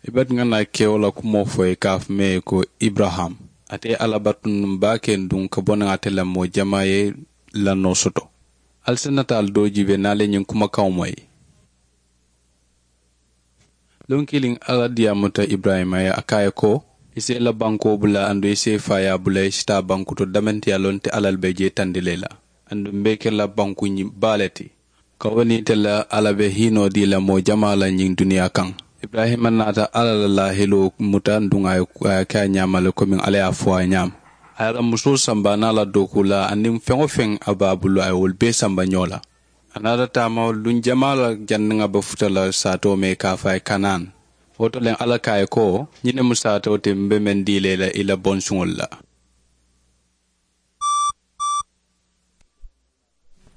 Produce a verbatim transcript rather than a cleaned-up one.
I bati ŋa naa kewo la kumoo fo i ka a fo mee ko ibrahim. Ate ye alla batu nuŋ baa ke nuŋ ka bo naŋ ate la moo jamaa ye lannoo soto. Ali si nataalu doo jiibe naa le ñiŋ kumakaŋo moyi. Luŋ kiliŋ alla diyaamuta ibrahima ye a ka a ye ko, i si i la bankoo bula aduŋ i si i faayaa bula i si taa banku to damantiyaa loŋ te alla le be jee tandi la i la. Aduŋ m̀ be i ke la banku baa le ti. Ka wo niŋ ite la alla be hiinoo dii la moo jamaa la ñiŋ duniyaa kaŋ. Ibrahima naata alla la laahiloo muta aduŋ a ye ke a ñaama le komiŋ alla ye a fo a ye ñaama. A ye a la musoo samba a niŋ a la dookuu la aniŋ feŋ-wo-feŋ a be a bulu a ye wolu bee samba ñoo la. A naata taama luŋ jamaa la janniŋ a be futa la saatoo mee ka a fo a ye kanaan. Wo to le alla ko a ye ko, ñiŋ ne mu saatoo ti m̀ be meŋ dii la i la i la bonsuŋolu la.